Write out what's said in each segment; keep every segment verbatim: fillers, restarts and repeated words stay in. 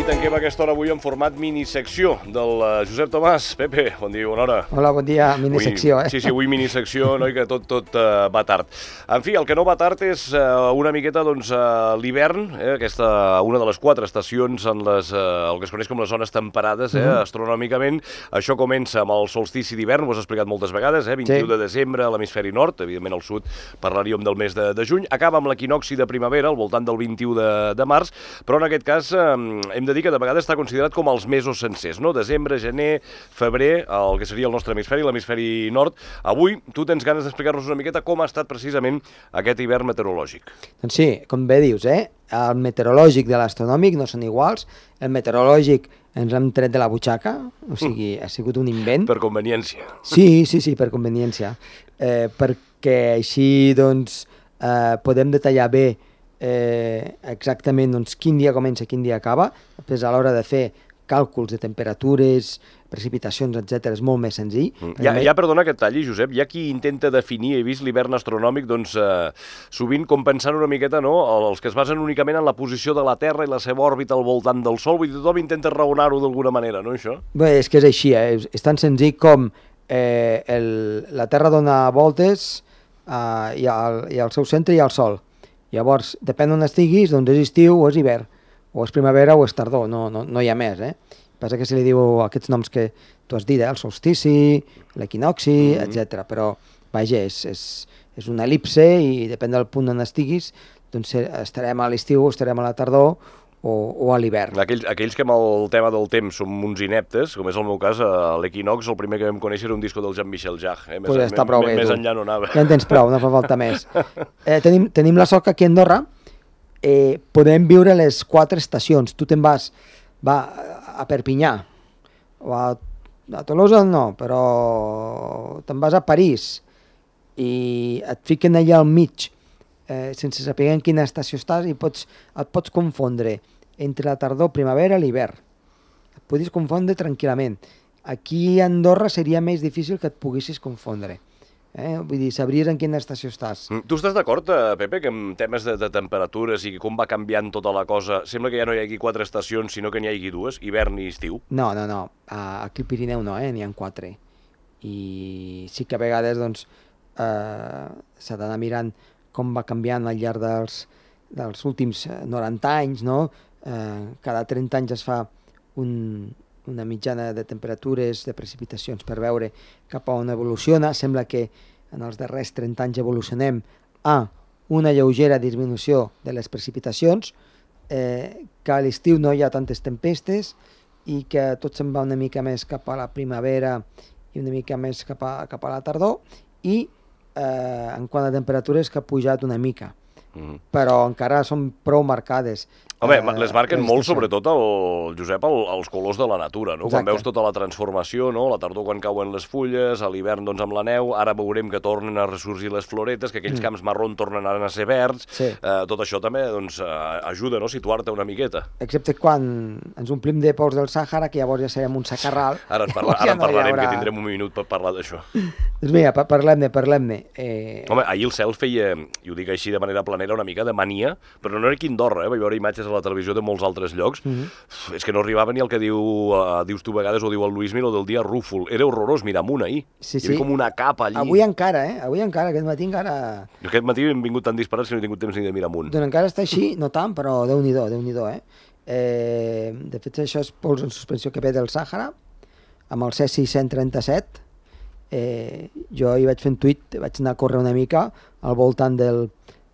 I tanquem aquesta hora avui en format minissecció del Josep Tomàs. Pepe, bon dia, bona hora. Hola, bon dia, minissecció, eh? Sí, sí, avui minissecció, no? I que tot, tot uh, va tard. En fi, el que no va tard és uh, una miqueta, doncs, uh, l'hivern, eh? Aquesta, una de les quatre estacions en les, uh, el que es coneix com les zones temperades, eh? Mm-hmm. Astronòmicament. Això comença amb el solstici d'hivern, ho has explicat moltes vegades, eh? vint-i-u sí. de desembre a l'hemisferi nord, evidentment al sud parlaríem del mes de, de juny. Acaba amb l'equinocci de primavera, al voltant del vint-i-u de, de març, però en aquest cas eh, hem de dir que de vegades està considerat com els mesos sencers, no? Desembre, gener, febrer, el que seria el nostre hemisferi, l'hemisferi nord. Avui tu tens ganes d'explicar-nos una miqueta com ha estat precisament aquest hivern meteorològic. Doncs sí, com bé dius, eh? El meteorològic de l'astronòmic no són iguals. El meteorològic ens hem tret de la butxaca, o sigui, ha sigut un invent. Per conveniència. Sí, sí, sí, per conveniència. Eh, perquè així, doncs, eh, podem detallar bé Eh, exactament doncs, quin dia comença i quin dia acaba. Després, a l'hora de fer càlculs de temperatures, precipitacions, etcètera, és molt més senzill. Mm. Ja, ja, perdona que et talli, Josep, hi ha qui intenta definir, he vist l'hivern astronòmic, doncs, eh, sovint com pensant una miqueta, no?, els que es basen únicament en la posició de la Terra i la seva òrbita al voltant del Sol, vull dir, tothom intenta raonar-ho d'alguna manera, no, això? Bé, és que és així, eh? és, és tan senzill com eh, el, la Terra dona voltes eh, i, al, i al seu centre hi ha el Sol. Llavors, depèn on estiguis, doncs és estiu o és hivern, o és primavera o és tardor, no, no, no hi ha més, eh? Passa que se li diu aquests noms que tu has dit, eh? El solstici, l'equinocci, mm-hmm. etcètera. Però, vaja, és, és, és una el·lipse i depèn del punt on estiguis, doncs estarem a l'estiu, estarem a la tardor, o, o a l'hivern. Aquells, aquells que amb el tema del temps som uns ineptes, com és el meu cas, a l'equinox el primer que vam conèixer era un disco del Jean-Michel Jarre. Eh? Més, pues està prou bé, més tu. enllà no anava. Ja en tens prou, no fa falta més. Eh, tenim, tenim la sort que aquí a Andorra eh, podem viure les quatre estacions. Tu te'n vas va, a Perpinyà, o a, a Tolosa no, però te'n vas a París i et fiquen allà al mig, Eh, sense saber en quina estació estàs i pots, et pots confondre entre la tardor, primavera i l'hivern. Et podis confondre tranquil·lament. Aquí a Andorra seria més difícil que et poguessis confondre. Eh? Vull dir, sabries en quina estació estàs. Mm. Tu estàs d'acord, Pepe, que en temes de, de temperatures i com va canviant tota la cosa, sembla que ja no hi hagi quatre estacions, sinó que n'hi hagi dues, hivern i estiu? No, no, no. Aquí al Pirineu no, eh? N'hi ha quatre. I sí que a vegades doncs, eh, s'ha d'anar mirant com va canviant al llarg dels, dels últims noranta anys, no? Eh, cada trenta anys es fa un, una mitjana de temperatures, de precipitacions per veure cap a on evoluciona. Sembla que en els darrers trenta anys evolucionem a una lleugera disminució de les precipitacions, eh, que a l'estiu no hi ha tantes tempestes i que tot se'n va una mica més cap a la primavera i una mica més cap a, cap a la tardor, i Eh, en quant a temperatures que ha pujat una mica, mm. però encara són prou marcades. Home, eh, les marquen molt, sobretot, el, Josep, el, els colors de la natura, no? Exacte. Quan veus tota la transformació, no? La tardor quan cauen les fulles, a l'hivern doncs amb la neu, ara veurem que tornen a ressorgir les floretes, que aquells mm. camps marrons tornen a ser verds, sí. eh, tot això també doncs, ajuda, no?, a situar-te una miqueta. Excepte quan ens omplim de pols del Sàhara, que llavors ja serem un sacarral. Ara en, parla, ara en parlarem, haurà... que tindrem un minut per parlar d'això. Doncs mira, parlem-ne, parlem-ne. Eh... Home, ahir el cel feia, i ho dic així de manera planera, una mica de mania, però no era aquí a Andorra, eh? Vaig veure imatges a la televisió de molts altres llocs, mm-hmm. és que no arribava ni el que diu, uh, dius tu a vegades, o diu el Luis Milo del dia rúfol. Era horrorós mirar amunt ahir. Sí, sí. Hi havia com una capa allí. Avui encara, eh? Avui encara, aquest matí encara... Jo aquest matí hem vingut tan disparats que no he tingut temps ni de mirar amunt. Doncs encara està així, no tant, però Déu-n'hi-do, Déu-n'hi-do, eh? eh? De fet, això és pols en suspensió que ve del Sàhara, amb el Cesi cent trenta-set. Eh, jo hi vaig fer un tuit, vaig anar a córrer una mica al voltant del,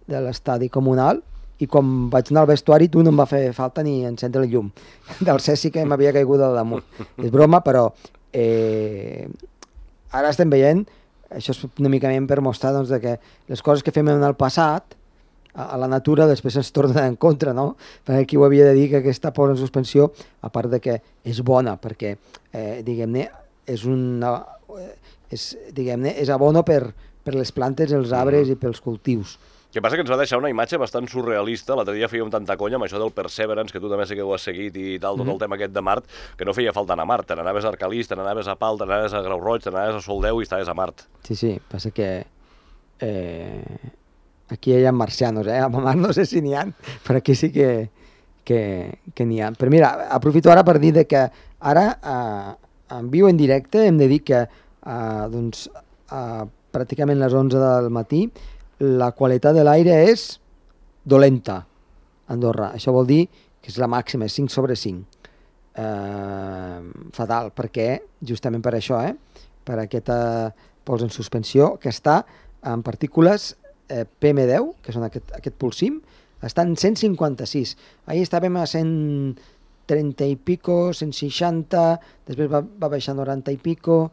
de l'estadi comunal, i quan vaig anar al vestuari tu no em va fer falta ni encendre el llum del Cesi que m'havia caigut al damunt. És broma, però eh, ara estem veient, això és una mica per mostrar doncs, que les coses que fem en el passat a, a la natura després ens tornen en contra, no? Perquè aquí ho havia de dir que aquesta pols en suspensió, a part de que és bona, perquè eh, diguem-ne és una... és, diguem-ne, és abono per, per les plantes, els arbres i pels cultius. El que passa que ens va deixar una imatge bastant surrealista. L'altre dia fèiem tanta conya amb això del Perseverance, que tu també sé que ho has seguit i tal, tot el tema aquest de Mart, que no feia falta anar a Mart. Te n'anaves a Arcalís, te n'anaves a Pal, te n'anaves a Grau Roig, te n'anaves a Soldeu i estaves a Mart. Sí, sí, passa que eh, aquí hi ha marcianos, eh? A Mart no sé si n'hi ha, però aquí sí que, que, que n'hi ha. Però mira, aprofito ara per dir de que ara, eh, en viu en directe, hem de dir que eh, doncs, eh, pràcticament a les onze del matí la qualitat de l'aire és dolenta a Andorra. Això vol dir que és la màxima, és cinc sobre cinc. Eh, fatal, perquè justament per això, eh, per aquesta pols en suspensió que està en partícules eh, P M deu, que són aquest, aquest pulsim, està en cent cinquanta-sis. Ahir estàvem a cent trenta i pico, cent seixanta, després va, va baixar a noranta i pico,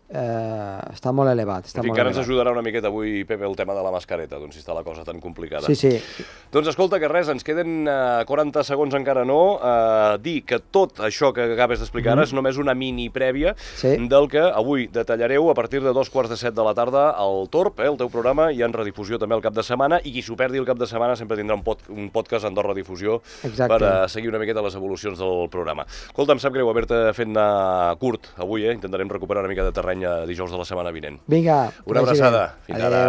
eh, està molt elevat. Està en fi, molt encara ens elevat. ajudarà una miqueta avui, Pepe, el tema de la mascareta, doncs si està la cosa tan complicada. Sí, sí. Doncs escolta, que res, ens queden uh, quaranta segons encara no, uh, dir que tot això que acabes d'explicar ara mm. és només una mini prèvia sí. del que avui detallareu a partir de dos quarts de set de la tarda al Torb, eh, el teu programa, i en redifusió també el cap de setmana, i qui s'ho perdi el cap de setmana sempre tindrà un, pod un podcast a Andorra Difusió Exacte. per uh, seguir una miqueta les evolucions del programa. Escolta, em sap greu haver-te fet anar curt avui, eh? Intentarem recuperar una mica de terreny dijous de la setmana vinent. Vinga. Una abraçada. Fins ara.